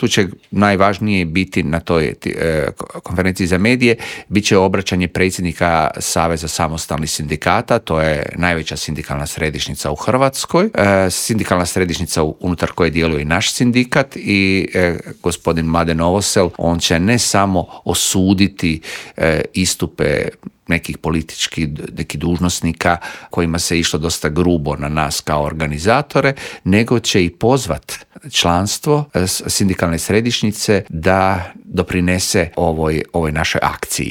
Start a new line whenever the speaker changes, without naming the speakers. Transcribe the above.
tu će najvažnije biti na toj konferenciji za medije, bit će obraćanje predsjednika Saveza samostalnih sindikata, to je najveća sindikalna središnjica u Hrvatskoj, sindikalna središnjica unutar koje djeluje i naš sindikat i gospodin Mladen Novosel, on će ne samo osuditi istupe nekih nekih dužnosnika kojima se išlo dosta grubo na nas kao organizatore, nego će i pozvat članstvo sindikalne središnjice da doprinese ovoj našoj akciji.